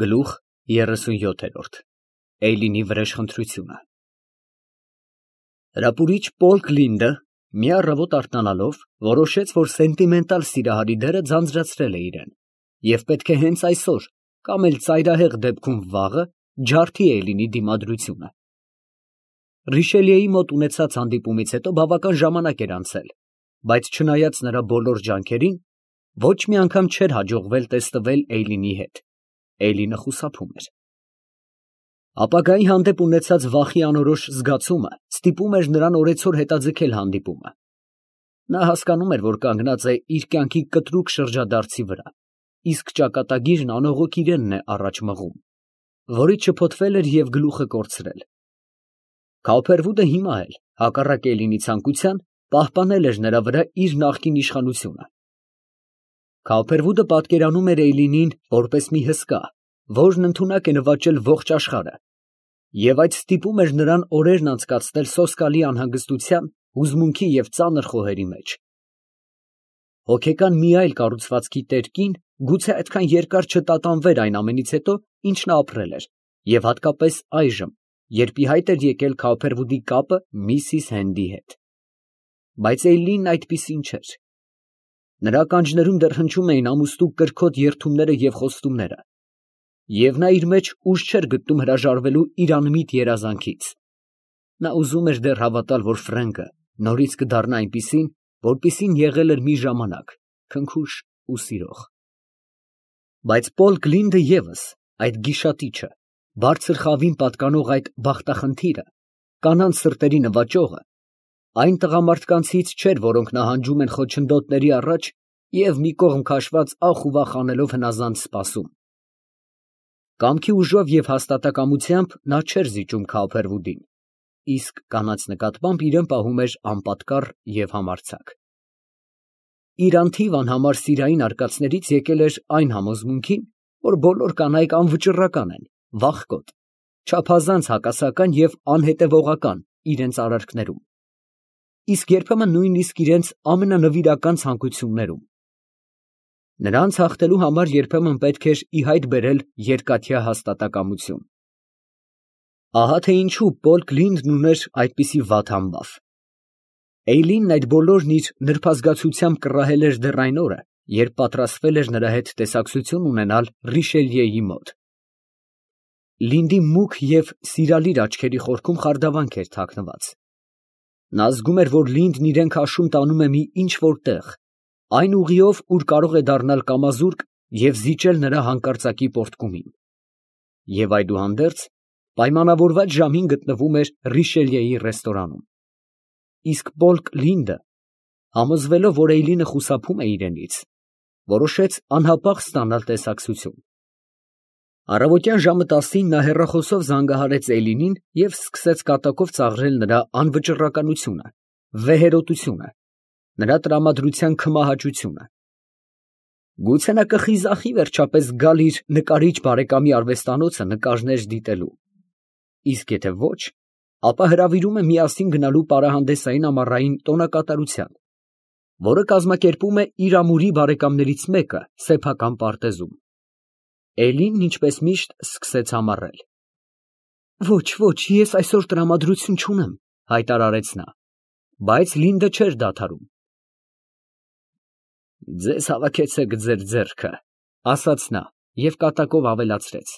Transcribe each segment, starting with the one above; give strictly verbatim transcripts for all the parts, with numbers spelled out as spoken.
Գլուխ երեսունյոթ։ Էյլինի վրեժխնդրությունը Հրապուրիչ Պոլ Կլինդը, մի առավոտ արթնանալով, որոշեց, որ սենտիմենտալ սիրահարի դերը ձանձրացրել է իրան, և պետք է հենց այսօր, կամ էլ ծայրահեղ դեպքում վաղը, ջարդի Էյլինի դիմադրությունը։ Ռիշելիեի մոտ ունեցած հանդիպումից հետո բավական ժամանակ էր անցել, բայց չնայած նրա բոլոր ջանքերին, ոչ մի անգամ չէր հաջողվել տեստվել Էյլինի հետ։ Էյլինը խուսափում էր։ Ապագայի հանդեպ ունեցած վախի անորոշ զգացումը ստիպում էր նրան օրեցօր հետաձգել հանդիպումը։ Նա հասկանում էր, որ կանգնած է իր կյանքի կտրուկ շրջադարձի վրա, իսկ ճակատագիրն անողոք իրենն է առաջ մղում, որից շփոթվել էր և գլուխը կորցրել։ Քաուփերվուդը հիմա էլ, հակառակ Էյլինի ցանկության, պահպանել էր նրա վրա իր նախկին իշխանությունը։ Քաուփերվուդը պատկերանում էր Էյլինին որպես մի հսկա, որն ընդունակ է նվաճել ողջ աշխարհը, և այդ ստիպում էր նրան օրերն անցկացնել սոսկալի անհանգստության, հուզմունքի և ծանր խոհերի մեջ։ Հոգեկան մի այլ կառուցվածքի տեր կին գուցե այդքան երկար չտատանվեր այն ամենից հետո, ինչ նա ապրել էր, և հատկապես այժմ, երբ ի հայտ էր եկել Քաուփերվուդի կապը միսիս Հենդի հետ։ Բայց Էյլինն այդպիսին չէր։ Նրա ականջներում դեռ հնչում էին ամուստու կրքոտ երդումները և խոստումները, և նա իր մեջ ուժ չէր գտնում հրաժարվելու իր անմիտ երազանքից։ Նա ուզում էր դեռ հավատալ, որ Ֆրենկը նորից կդառնա այնպիսին, որպիսին եղել էր մի ժամանակ, քնքուշ ու սիրող։ Բայց Պոլ Կլինդը ևս, այդ գիշատիչը, բարձր խավին պատկանող այդ բախտախնդիրը, կանանց սրտերի նվաճողը, այն տղամարդկանցից չէր, որոնք նահանջում են խոչընդոտների առաջ և մի կողմ քաշված ախ ու վախ անելով հնազանդ սպասում։ Կամքի ուժով և հաստատակամությամբ նա չէր զիջում Քաուփերվուդին, իսկ կանանց նկատմամբ իրան պահում էր անպատկառ և համարձակ։ Իր անթիվ անհամար սիրային արկածներից եկել էր այն համոզմունքին, որ բոլոր կանայք անվճռական են, վախկոտ, չափազանց հակասական և անհետևողական իրենց արարքներում, իսկ երբեմն նույնիսկ իրենց ամենանվիրական ցանկություններում։ Նրանց հաղթելու համար երբեմն պետք էր ի հայտ բերել երկաթյա հաստատակամություն։ Ահա թե ինչու Պոլ Կլինդն ուներ այդպիսի վատ համբավ։ Էյլինն այդ բոլորն իր նրբազգացությամբ կռահել էր դեռ այն օրը, երբ պատրաստվել էր նրա հետ տեսակցություն ունենալ Ռիշելիեի մոտ։ Լինդի մուգ և սիրալիր աչքերի խորքում խարդավանք էր թաքնված։ Նա զգում էր, որ Լինդն իրան քաշում տանում է մի ինչ֊որ տեղ, այն ուղիով, ուր կարող է դառնալ կամազուրկ և զիջել նրա հանկարծակի պոռթկումին։ Եվ այդուհանդերձ, պայմանավորված ժամին գտնվում էր Ռիշելիեի ռեստորանում։ Իսկ Պոլ Կլինդը, համոզվելով, որ Էյլինը խուսափում է իրենից, որոշեց անհապաղ ստանալ տեսակցություն։ Առավոտյան ժամը տասին նա հեռախոսով զանգահարեց Էյլինին և սկսեց կատակով ծաղրել նրա անվճռականությունը, վեհերոտությունը, նրա տրամադրության քմահաճությունը։ Գուցե նա կխիզախի վերջապես գալ իր նկարիչ բարեկամի արվեստանոցը նկարներ դիտելու, իսկ եթե ոչ, ապա հրավիրում է միասին գնալու պարահանդեսային ամառային տոնակատարության, որը կազմակերպում է իր ամուրի բարեկամներից մեկը սեփական պարտեզում։ Էյլինն ինչպես միշտ սկսեց համառել։ «Ոչ, ոչ, ես այսօր տրամադրություն չունեմ», հայտարարեց նա, բայց Լինդը չէր դադարում։ «Ձեզ հավաքեցեք ձեր ձեռքը», ասաց նա և կատակով ավելացրեց.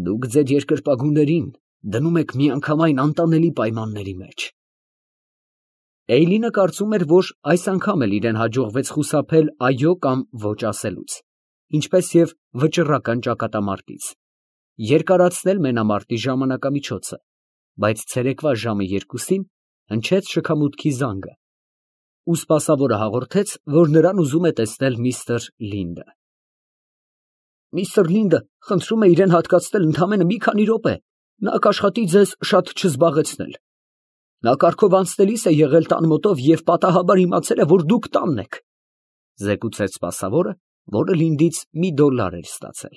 «Դուք ձեր երկրպագուներին դնում եք միանգամայն անտանելի պայմանների մեջ»։ Էյլինը կարծում էր, որ այս անգամ էլ իրան հաջողվեց խուսափել այո կամ ոչ ասելուց, ինչպես և վճռական ճակատամարտից, երկարացնել մենամարտի ժամանակամիջոցը, բայց ցերեկվա ժամը երկուսին հնչեց շքամուտքի զանգը, ու սպասավորը հաղորդեց, որ նրան ուզում է տեսնել միստր Լինդը։ «Միստր Լինդը խնդրում է իրան հատկացնել ընդամենը մի քանի րոպե, նա կաշխատի ձեզ շատ չզբաղեցնել։ Նա կառքով անցնելիս է եղել տան մոտով և պատահաբար իմացել է, որ դուք տանն եք», ֊ զեկուցեց սպասավորը, որը Լինդից մի դոլար էր ստացել։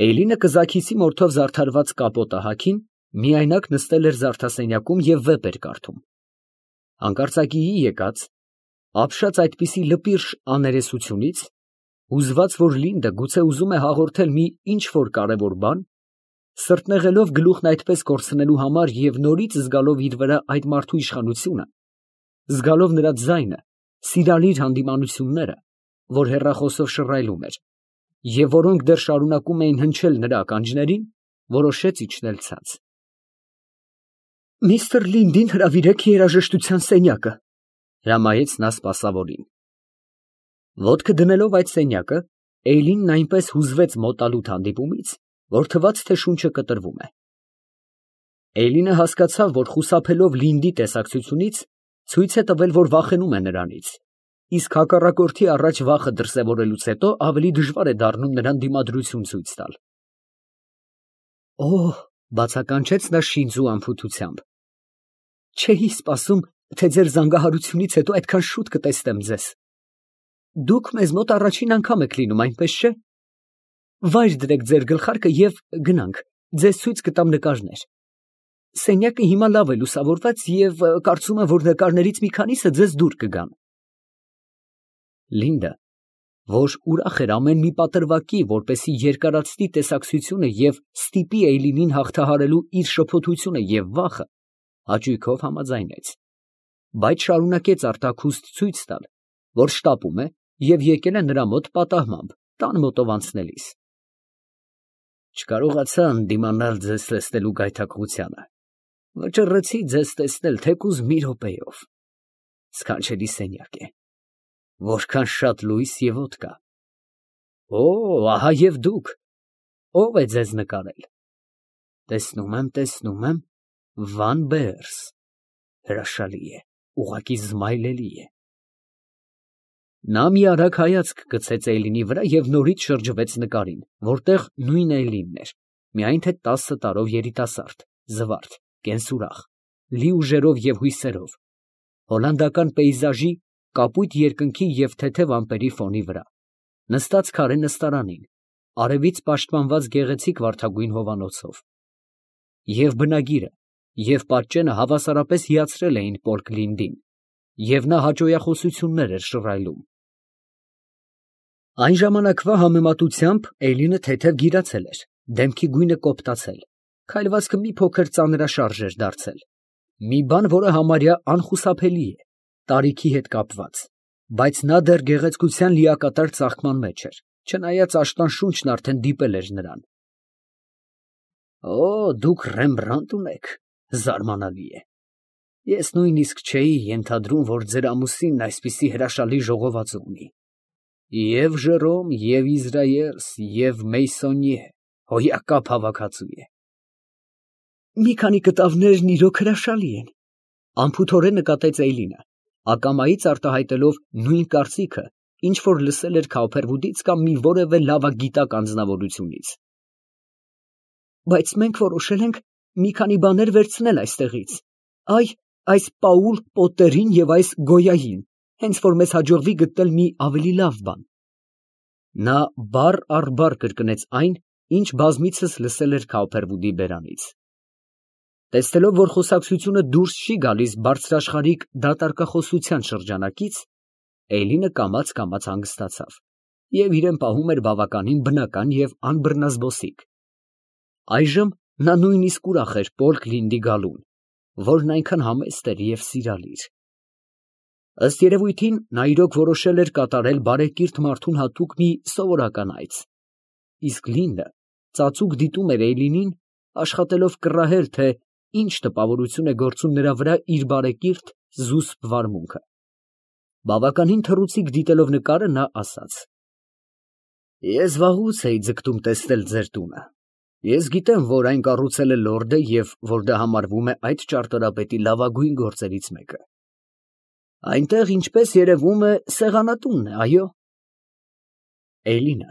Էյլինը կզաքիսի մորթով զարդարված կապոտը հագին, միայնակ նստել էր զարդասենյակում և վեպ էր կարդում։ Հանկարծակիի եկած, ապշած այդպիսի լպիրշ աներեսությունից Հուզված, որ Լինդը գուցե ուզում է հաղորդել մի ինչ֊որ կարևոր բան, սրտնեղելով գլուխն այդպես կորցնելու համար և նորից զգալով իր վրա այդ մարդու իշխանությունը, զգալով նրա ձայնը, սիրալիր հանդիմանությունները, որ հեռախոսով շռայլում էր, և որոնք դեռ շարունակում էին հնչել նրա ականջներին, որոշեց իջնել ցած։ «Միստր Լինդին հրավիրեք երաժշտության սենյակը», ֊ հրամայեց նա սպասավորին։ Ոտքը դնելով այդ սենյակը, Էյլինն այնպես հուզվեց մոտալուտ հանդիպումից, որ թվաց, թե շունչը կտրվում է։ Էյլինը հասկացավ, որ խուսափելով Լինդի տեսակցությունից, ցույց է տվել, որ վախենում է նրանից, իսկ հակառակորդի առաջ վախը դրսևորելուց հետո ավելի դժվար է դառնում նրան դիմադրություն ցույց տալ։ «Օհ», բացականչեց նա շինծու անփութությամբ, «չէի սպասում, թե ձեր զանգահարությունից հետո այդքան շուտ կտեսնեմ ձեզ։ Դուք մեզ մոտ առաջին անգամ եք լինում, այնպես չէ՞։ Վայր դրեք ձեր գլխարկը և գնանք, ձեզ ցույց կտամ նկարներ։ Սենյակը հիմա լավ է լուսավորված և կարծում եմ, որ նկարներից մի քանիսը ձեզ դուր կգան»։ Լինդը, որ ուրախ էր ամեն մի պատրվակի, որպեսզի երկարացնի տեսակցությունը և ստիպի Էյլինին հաղթահարելու իր շփոթությունը և վախը, հաճույքով համաձայնեց, բայց շարունակեց արտաքուստ ցույց տալ, որ շտապում է և եկել է նրա մոտ պատահմամբ, տան մոտով անցնելիս։ «Չկարողացա ընդդիմանալ ձեզ տեսնելու գայթակղությանը, վճռեցի ձեզ տեսնել թեկուզ մի րոպեով։ Սքանչելի սենյակ է, որքան շատ լույս և օդ կա։ Օ, ահա և դուք, ո՞վ է ձեզ նկարել։ Տեսնում եմ, տեսնում եմ, Վան Բեերս, հրաշալի է, ուղղակի զմայլելի է»։ Նա մի արագ հայացք գցեց Էյլինի վրա և նորից շրջվեց նկարին, որտեղ նույն Էյլինն էր, միայն թե տասը տարով երիտասարդ, զվարթ, կենսուրախ, լի ուժերով և հույսերով, հոլանդական պեյզաժի, կապույտ երկնքի և թեթև ամպերի ֆոնի վրա, նստած քարե նստարանին, արևից պաշտպանված գեղեցիկ վարդագույն հովանոցով։ Եվ բնագիրը, և պատճենը հավասարապես հիացրել էին պոլք Լինդին, և նա հաճոյախոսություններ էր շռայլում։ Այն ժամանակվա համեմատությամբ Էյլինը թեթև գիրացել էր, դեմքի գույնը կոպտացել, քայլվածքը մի փոքր ծանրաշարժ էր դարձել, մի բան, որը համարյա անխուսափելի է, տարիքի հետ կապված, բայց նա դեռ գեղեցկության լիակատար ծաղկման մեջ էր, չնայած աշնան շունչն արդեն դիպել էր նրան։ «Օ, դուք Ռեմբրանտ ունեք, զարմանալի է։ Ես նույնիսկ չէի ենթադրում, որ ձեր ամուսինն այսպիսի հրաշալի ժողովածու ունի։ Եվ Ժերոմ, և Իզրայելս, և Մեյսոնիե, հոյակապ հավաքածու է»։ «Մի քանի կտավներն իրոք հրաշալի են», ֊ անփութորեն նկատեց Էյլինը, ակամայից արտահայտելով նույն կարծիքը, ինչ որ լսել էր Քաուփերվուդից կամ մի որևէ լավագիտակ անձնավորությունից։ «Բայց մենք որոշել ենք մի քանի բաներ վերցնել այստեղից, այ, այս Պաուլ Պոտերին և այս Գոյային, հենց որ մեզ հաջողվի գտնել մի ավելի լավ բան»։ Նա բառ առ բառ կրկնեց այն, ինչ բազմիցս լսել էր Քաուփերվուդի բերանից։ Տեսնելով, որ խոսակցությունը դուրս չի գալիս բարձրաշխարհիկ դատարկախոսության շրջանակից, Էյլինը կամաց֊կամաց հանգստացավ և իրեն պահում էր բավականին բնական և անբռնազբոսիկ։ Այժմ նա նույնիսկ ուրախ էր պոլք Լինդի գալուն, որն այնքան համեստ էր և սիրալիր։ Ըստ երևույթին, նա իրոք որոշել էր կատարել բարեկիրթ մարդուն հատուկ մի սովորական այց, իսկ Լինդը ծածուկ դիտում էր Էյլինին, աշխատելով կռահել, թե ինչ տպավորություն է գործում նրա վրա իր բարեկիրթ, զուսպ վարմունքը։ Բավականին թռուցիկ դիտելով նկարը, նա ասաց. «Ես վաղուց էի ձգտում տեսնել ձեր տունը։ Ես գիտեմ, որ այն կառուցել է լորդը և որ դա համարվում է այդ ճարտարապետի լավագույն գործերից մեկը։ Այնտեղ, ինչպես երևում է, սեղանատունն է, այո»։ Էյլինը,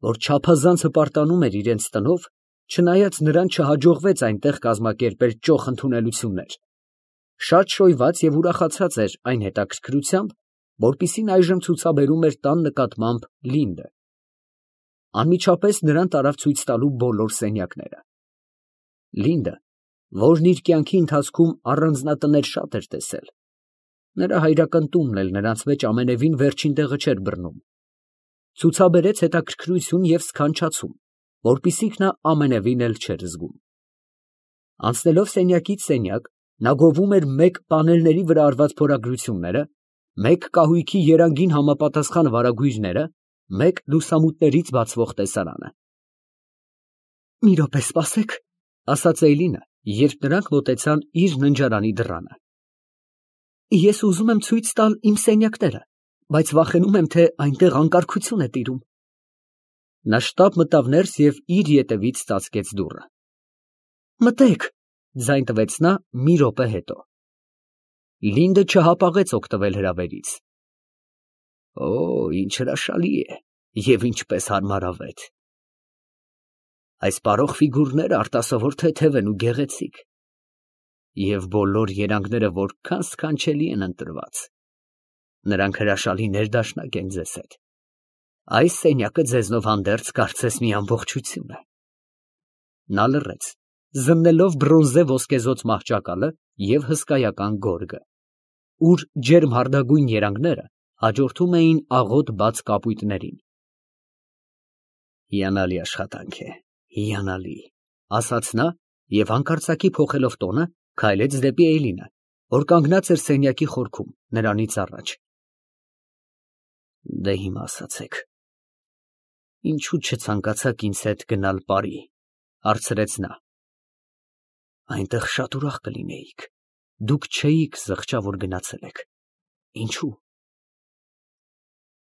որ չափազանց հպարտանում էր իրենց տնով, չնայած նրան չհաջողվեց այնտեղ կազմակերպել ճոխ ընդունելություններ, շատ շոյված և ուրախացած էր այն հետաքրքրությամբ, որպիսին այժմ ցուցաբերում էր տան նկատմամբ Լինդը։ Անմիջապես նրան տարավ ցույց տալու բոլոր սենյակները։ Լինդը, որն իր կյանքի ընթացքում առանձնատներ շատ էր տեսել, նրա հայրական տունն էլ նրանց մեջ ամենևին վերջին տեղը չէր բռնում, Ցուցաբերեց հետաքրքրություն և սքանչացում, որպիսիք նա ամենևին էլ չէր զգում։ Անցնելով սենյակից սենյակ, նա գովում էր մեկ պանելների վրա արված փորագրությունները, մեկ կահույքի երանգին համապատասխան վարագույրները, մեկ լուսամուտներից բացվող տեսարանը։ ֊ Մի րոպե սպասեք, ֊ ասաց Էյլինը, երբ նրանք մոտեցան իր ննջարանի դռանը։ ֊ Ես ուզում եմ ցույց տալ իմ սենյակները, բայց վախենում եմ, թե այնտեղ անկարգություն է տիրում։ Նա շտապ մտավ ներս և իր ետևից ծածկեց դուռը։ ֊ Մտե՛ք, ֊ ձայն տվեց նա մի րոպե հետո։ Լինդը չհապաղեց օգտվել հրավերից։ ֊ Օ, ինչ հրաշալի է և ինչպես հարմարավետ։ Այս պարող ֆիգուրները արտասովոր թեթև են ու գեղեցիկ, և բոլոր երանգները որքան սքանչելի են ընտրված։ Նրանք հրաշալի ներդաշնակ են ձեզ հետ։ Այս սենյակը ձեզնով հանդերձ կարծես մի ամբողջություն է։ Նա լռեց, զննելով բրոնզե ոսկեզօծ մահճակալը և հսկայական գորգը, ուր ջերմհարդագույն երանգները հաջորդում էին աղոտ բաց կապույտներին։ Հիանալի աշխատանք է, հիանալի, ֊ ասաց նա և հանկարծակի փոխելով տոնը, քայլեց դեպի Էյլինը, որ կանգնած էր սենյակի խորքում, նրանից առաջ։ Դե հիմա ասացեք, ինչո՞ւ չցանկացաք ինձ հետ գնալ Պարի, ֊ հարցրեց նա։ Այնտեղ շատ ուրախ կլինեիք, դուք չէիք զղջա, որ գնացել եք, ինչո՞ւ։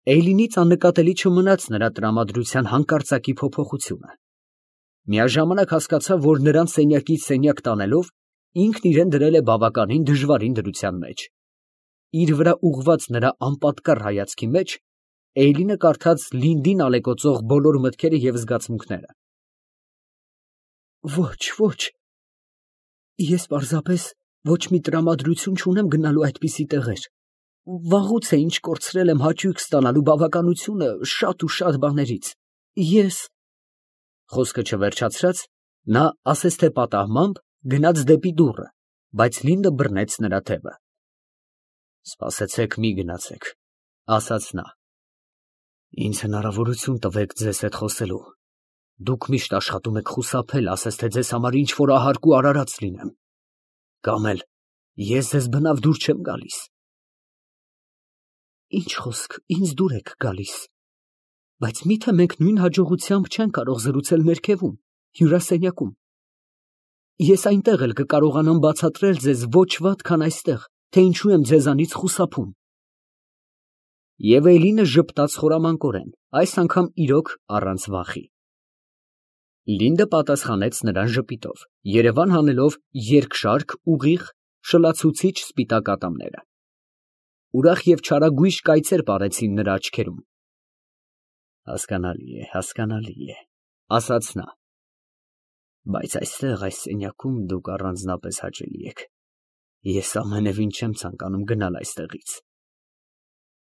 Էյլինից աննկատելի չմնաց նրա տրամադրության հանկարծակի փոփոխությունը։ Միաժամանակ հասկացավ, որ նրան սենյակից սենյակ տանելով, ինքն իրան դրել է բավականին դժվարին դրության մեջ։ Իր վրա ուղղված նրա անպատկառ հայացքի մեջ Էյլինը կարդաց Լինդին ալեկոծող բոլոր մտքերը և զգացմունքները։ Ոչ, ոչ, ես պարզապես ոչ մի տրամադրություն չունեմ գնալու այդպիսի տեղեր։ Վաղուց է ինչ կորցրել եմ հաճույք ստանալու բավականությունը շատ ու շատ բաներից։ Ես… Խոսքը չվերջացրած, նա ասես թե պատահմամբ գնաց դեպի դուռը, բայց Լինդը բռնեց նրա թևը։ Սպասեցեք, մի գնացեք, ֊ ասաց նա։ Ինձ հնարավորություն տվեք ձեզ հետ խոսելու։ Դուք միշտ աշխատում եք խուսափել, ասես թե ձեզ համար ինչ֊որ ահարկ ու արարած լինեմ։ Կամ էլ ես ձեզ բնավ դուր չեմ գալիս։ Ինչ խոսք, ինձ դուր եք գալիս։ Բայց մի՞թե մենք նույն հաջողությամբ չենք կարող զրուցել ներքևում, հյուրասենյակում։ Ես այնտեղ էլ կկարողանամ բացատրել ձեզ ոչ վատ, քան այստեղ, թե ինչու եմ ձեզանից խուսափում։ Եվ Էյլինը ժպտաց խորամանկորեն, այս անգամ իրոք առանց վախի։ Լինդը պատասխանեց նրան ժպիտով, երևան հանելով երկշարք, ուղիղ, շլացուցիչ սպիտակ ատամները։ Ուրախ և չարագույժ կայծեր պարեցին նրա աչքերում։ Հասկանալի է, հասկանալի է, ֊ ասաց նա։ Բայց այստեղ, այս սենյակում դուք առանձնապես հաճելի եք։ Ես ամենևին չեմ ցանկանում գնալ այստեղից։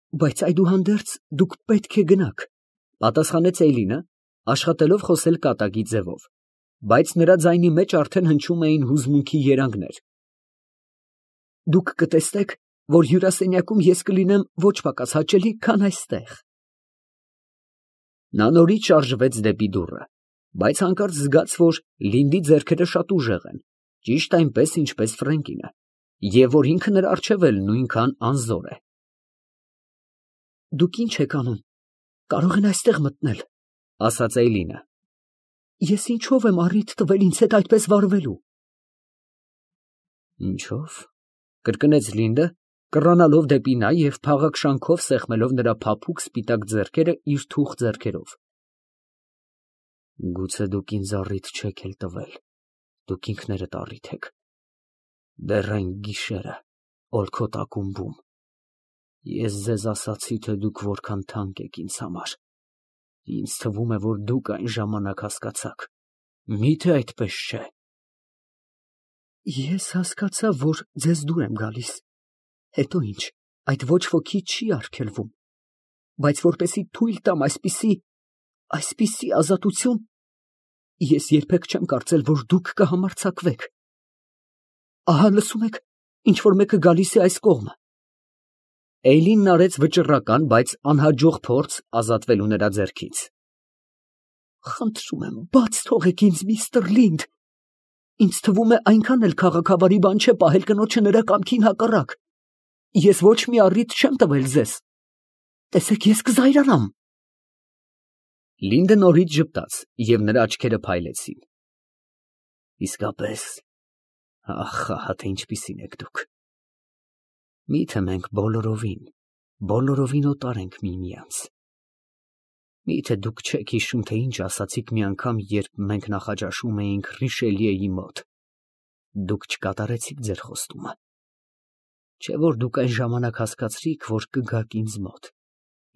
Բայց այդուհանդերձ դուք պետք է գնաք, ֊ պատասխանեց Էյլինը, աշխատելով խոսել կատակի ձևով, բայց նրա ձայնի մեջ արդեն հնչում էին հուզմունքի երանգներ։ Դուք կտեսնեք, որ հյուրասենյակում ես կլինեմ ոչ պակաս հաճելի, քան այստեղ։ Նա նորից շարժվեց դեպի դուռը, բայց հանկարծ զգաց, որ Լինդի ձեռքերը շատ ուժեղ են, ճիշտ այնպես, ինչպես Ֆրենկինը, և որ ինքը նրա առջև էլ նույնքան անզոր է։ Դուք ի՞նչ եք անում, կարող են այստեղ մտնել, ֊ ասաց Էյլինը։ Ես ինչո՞վ եմ առիթ տվել ինձ հետ այդպես վարվելու։ Ինչո՞վ, ֊ կրկնեց Լինդը, կռանալով դեպի նա և փաղաքշանքով սեղմելով նրա փափուկ սպիտակ ձեռքերը իր թուխ ձեռքերով։ Գուցե դուք ինձ առիթ չեք էլ տվել, դուք ինքներդ առիթ եք։ Դեռ այն գիշերը օլքոտ ակումբում ես ձեզ ասացի, թե դուք որքան թանկ եք ինձ համար։ Ինձ թվում է, որ դուք այն ժամանակ հասկացաք։ Մի՞թե այդպես չէ։ Ես հասկացա, որ ձեզ դուր եմ գալիս։ Հետո ինչ, այդ ոչ ոքի չի արգելվում։ Բայց որպեսզի թույլ տամ այսպիսի… այսպիսի ազատություն, ես երբեք չեմ կարծել, որ դուք կհամարձակվեք։ Ահա լսում եք, ինչ որ մեկը գալիս է այս կողմը։ Էյլինն արեց վճռական, բայց անհաջող փորձ ազատվելու նրա ձեռքից։ Խնդրում եմ, բաց թողեք ինձ, միստր Լինդ։ Ինձ թվում է այնքան էլ քաղաքավարի բան չէ պահել կնոջը նրա կամքին հակառակ։ Ես ոչ մի առիթ չեմ տվել ձեզ։ Տեսեք, ես կզայրանամ։ Լինդը նորից ժպտաց, և նրա աչքերը փայլեցին։ Իսկապես, ախ, ահա թե ինչպիսին եք դուք։ Միթե մենք բոլորովին, բոլորովին օտար ենք միմյանց։ Միթե դուք չեք հիշում, թե ինչ ասացիք մի անգամ, երբ մենք նախաճաշում էինք Ռիշելիեի մոտ։ Դուք չկատարեցիք ձեր խոստումը։ Չէ՞ որ դուք այն ժամանակ հասկացրիք, որ կգաք ինձ մոտ,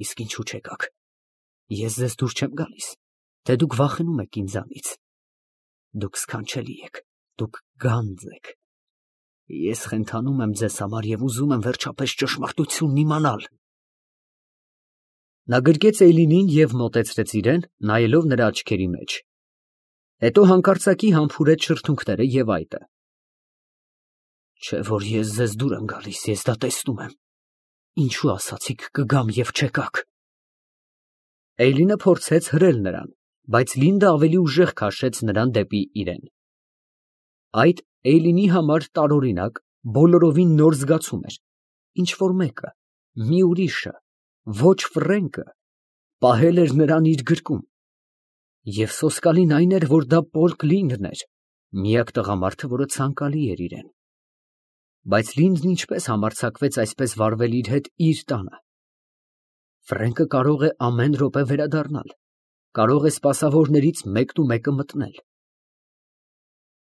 իսկ ինչու չեկաք։ Ես ձեզ դուր չեմ գալիս, թե դուք վախենում եք ինձանից։ Դուք սքանչելի եք, դուք գանձ եք։ Ես խենթանում եմ ձեզ համար և ուզում եմ վերջապես ճշմարտությունն իմանալ։ Նա գրկեց Էյլինին և մոտեցրեց իրեն, նայելով նրա աչքերի մեջ։ Հետո հանկարծակի համբուրեց շրթունքները և այտը։ Չէ՞ որ ես ձեզ դուր եմ գալիս, ես դա տեսնում եմ։ Ինչու ասացիք կգամ և չեկաք։ Էյլինը փորձեց հրել նրան, բայց Լինդը ավելի ուժեղ քաշեց նրան դեպի իրեն։ Այդ Էյլինի համար տարօրինակ, բոլորովին նոր զգացում էր, ինչ֊որ մեկը, մի ուրիշը, ոչ Ֆրենկը, պահել էր նրան իր գրկում։ Եվ սոսկալին այն էր, որ դա Պոլ Լինդն էր, միակ տղամարդը, որը ցանկալի էր իրեն։ Բայց Լինդն ինչպես համարձակվեց այսպես վարվել իր հետ իր տանը։ Ֆրենկը կարող է ամեն րոպե վերադառնալ, կարող է սպասավորներից մեկնումեկը մտնել։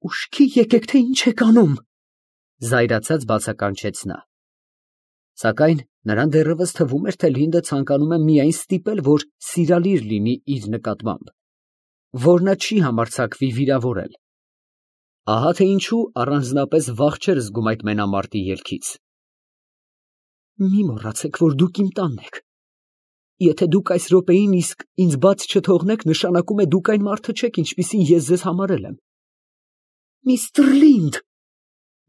Ուշքի եկեք, թե ինչ եք անում, զայրացած բացականչեց նա։ Սակայն նրան դեռևս թվում էր, թե Լինդը ցանկանում է միայն ստիպել, որ սիրալիր լինի իր նկատմամբ, որ նա չի համարձակվի վիրավորել։ Ահա թե ինչու առանձնապես վախ չէր զգում այդ մենամարտի ելքից։ Մի մոռացեք, որ դուք իմ տանն եք։ Եթե դուք այս րոպեին իսկ ինձ բաց չթողնեք, նշանակում է դուք այն մարդը չեք, ինչպիսին ես ձեզ համարել եմ։ Միստր Լինդ։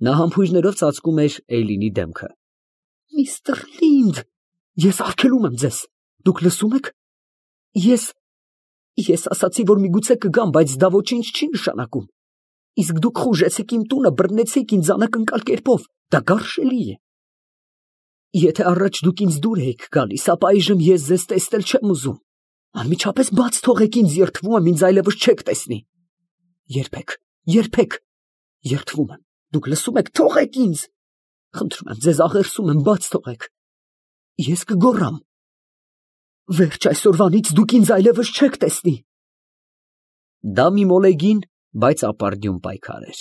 Նա համբույրներով ծածկում էր Էյլինի դեմքը։ Միստր Լինդ, ես արգելում եմ ձեզ։ Դուք լսում եք։ Ես ես ասացի, որ միգուցե կգամ, բայց դա ոչինչ չի նշանակում։ Իսկ դուք խուժեցիք իմ տունը, բռնեցիք ինձ անակնկալ կերպով, դա գարշելի է։ Եթե առաջ դուք ինձ դուր էիք գալիս, ապա այժմ ես ձեզ տեսնել չեմ ուզում։ Անմիջապես բաց թողեք ինձ, երդվում եմ, ինձ այլևս չեք տեսնի։ Երբեք, երբեք, երդվում եմ, դուք լսում եք, թողեք ինձ։ Խնդրում եմ ձեզ, աղերսում եմ, բաց թողեք։ Ես կգոռամ։ Վերջ այսօրվանից դուք ինձ այլևս չեք տեսնի։ Դա մի մոլեգին, բայց ապարդյուն պայքար էր։